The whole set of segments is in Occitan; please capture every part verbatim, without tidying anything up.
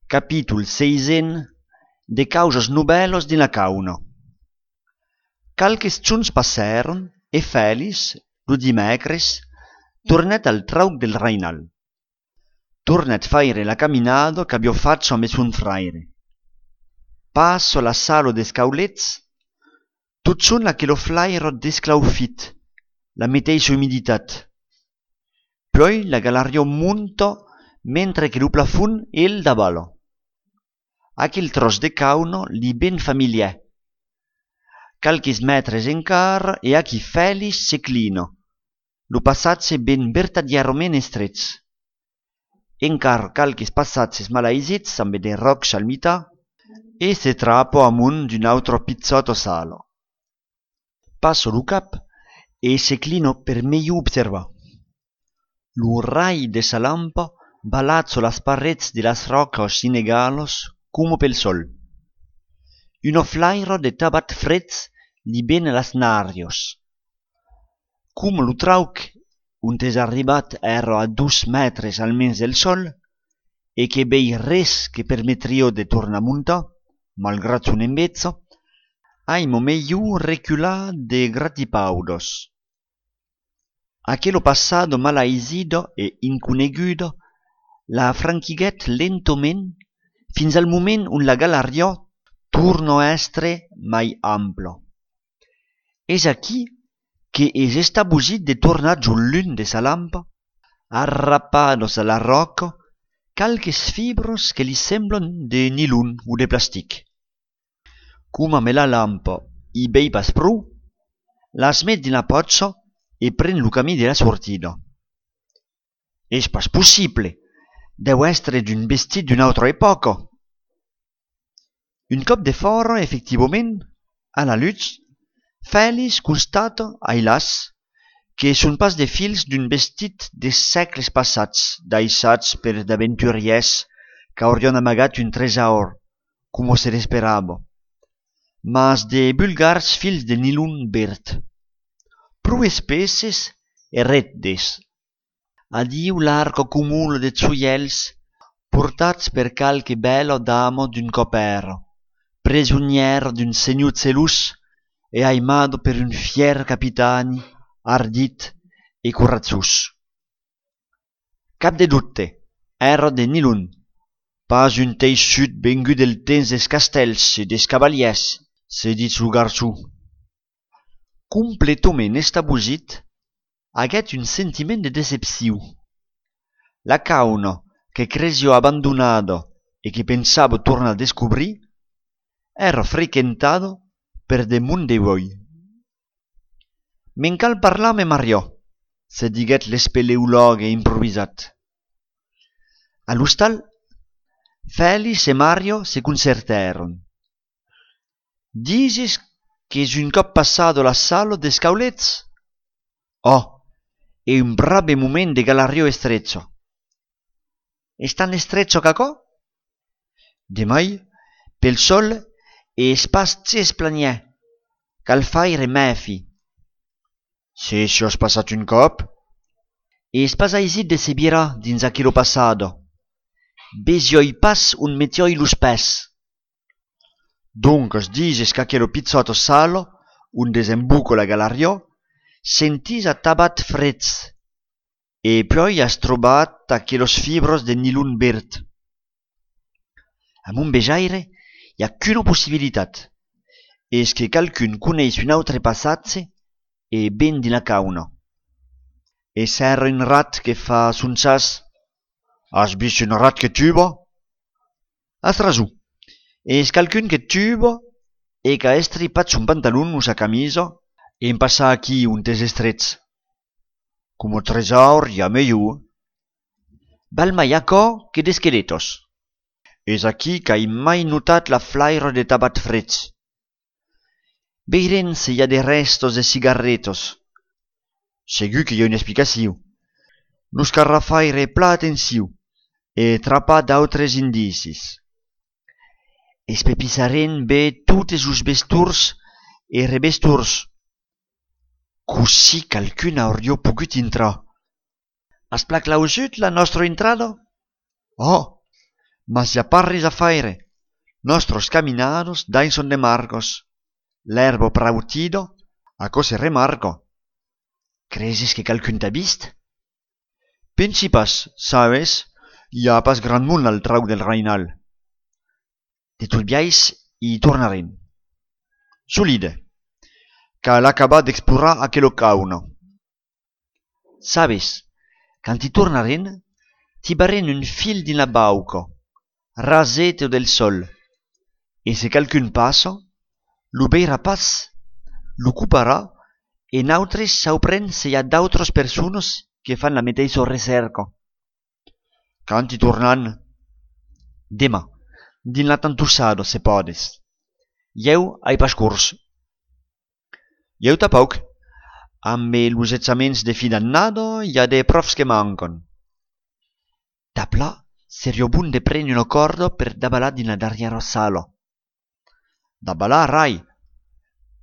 Capítol seizen. De causas novèlas dins la cauna. Qualques jorns passèron e Fèlix, lo dimècres, tornèt al trauc del Rainal. Tornèt faire la caminada qu'aviá facha amb son fraire. Passa la sala dels Caulets, totjorn aquela flaira d'esclaufit, la meteissa umiditat. Puèi la galariá monta mentre que lo plafond el davala. Aquel tròç de cauna li ven familièr. Qualques mètres encara e aquí Fèlix se clina. Lo passatge ven vertadièrament estrech. Encara qualques passatges malaisits amb de ròcs al mitan e se trapa amont d'una autra pichòta sala. Passa lo cap e se clina per melhor observar. Lo rai de sa lampa balatja las parets de las ròcas inegalas coma pel sòl. Una flaira de tabat freg li ven a las narrias. Coma lo trauc ont es arribat èra a dos mètres almens del sòl e que vei res que permetriá de tornar montar, malgrat son enveja, aima melhor recular de gratipaudas. Aquela passada malaisida e inconeguda la franquiguèt lentament fins al moment ont la galariá torna èstre mai ampla. Es aquí que es estabosit de tornar jos l'unh de sa lampa, arrapadas a la ròca qualques fibras que li semblan de nilon o de plastic. Coma amb la lampa i vei pas pro, las met dins la pòcha e pren lo camin de la sortida. Es pas possible! Deu èstre d'un vestit d'una autra epòca. Un còp defòra, efectivament, a la lutz, Fèlix constata, ailàs, que son pas de fils d'un vestit de sègles passats, daissats per d'aventurièrs qu'aurián amagat un tresaur, coma se l'esperava, mas de vulgars fils de nilon verd, pro espesses e reddes. Adiu l'arca comuna de joièls portats per qualque bèla dama d'un còp èra, presonièra d'un senhor gelós e aimada per un fièr capitani ardit e coratjós. Cap de dobte, èra de nilon, pas un teissut vengut del temps dels castèls e dels cavalièrs, se ditz lo garçon. Completament estabosit, aguèt un sentiment de decepcion. La cauna que cresiá abandonada e que pensava tornar descobrir, èra frequentada per de mond de uèi. Me'n cal parlar amb Mariò, se diguèt l'espeleològue improvisat. A l'ostal, Fèlix e Mariò se concertèron. Dises qu'es un còp passada la sala dels Caulets? Ò, e un brave moment de galariá estrecha. Es tan estrecha qu'aquò? De mai, pel sòl es pas ges planièr, cal faire mèfi. Se siás passat un còp? Es pas aisit de se virar dins aquela passada. Vesiái pas ont metiái los pès. Doncas dises qu'aquela pichòta sala ont desemboca la galariá sentís atabat freg, e puèi as trobat aquelas fibras de nilon verd. A mon vejaire, i a qu'una possibilitat. Es que qualqu'un coneis un autre passatge e ven dins la cauna. E s'èra un rat que fa son chas. As vist un rat que tuba? As rason. Es qualqu'un que tuba e qu'a estripat son pantalon o sa camisa en passar aquí ont es estrech. Coma tresaur, i a melhor. Val mai aquò que d'esqueletas. Es aquí qu'ai mai notat la flaira de tabat freg. Veirem se i a de rèstas de cigarretas. Segur que i a una explicacion. Nos calrà faire plan atencion e trapar d'autres indicis. Espepissarem ben totes los vestors e revestors. Cossí qualqu'un auriá pogut intrar? As plan clausut la nòstra intrada? Ò! Mas i a pas res a faire. Nòstras caminadas daissan de marcas. L'èrba prautida, aquò se remarca. Creses que qualqu'un t'a vist? Pensi pas, sabes, i a pas grand mond al trauc del Rainal. De tot biais, i tornarem. Solide. Cal acabar d'explorar aquela cauna. Sabes, quand i tornarem, tibarem un fil dins la bauca, raseta del sòl, e se qualqu'un passa, lo veirà pas, lo coparà, e nautres sauprem se i a d'autras personas que fan la meteissa recèrca. Quand i tornam? Deman, dins la tantossada, se pòdes. Ieu ai pas cors. Ieu tanpauc. Ambe los examens de fin d'annada, i a de pròfs que mancan. Dab la, seriá bon de prene una còrda per davalar dins la darrièra sala. Davalar, rai.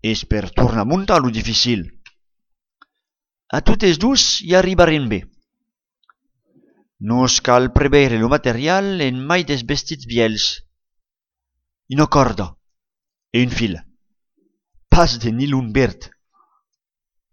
Es per tornar montar lo dificil. A totes dos i arribarem ben. Nos cal preveire lo material en mai dels vestits vièlhs. Una còrda e un fil. Pas de nilon verd.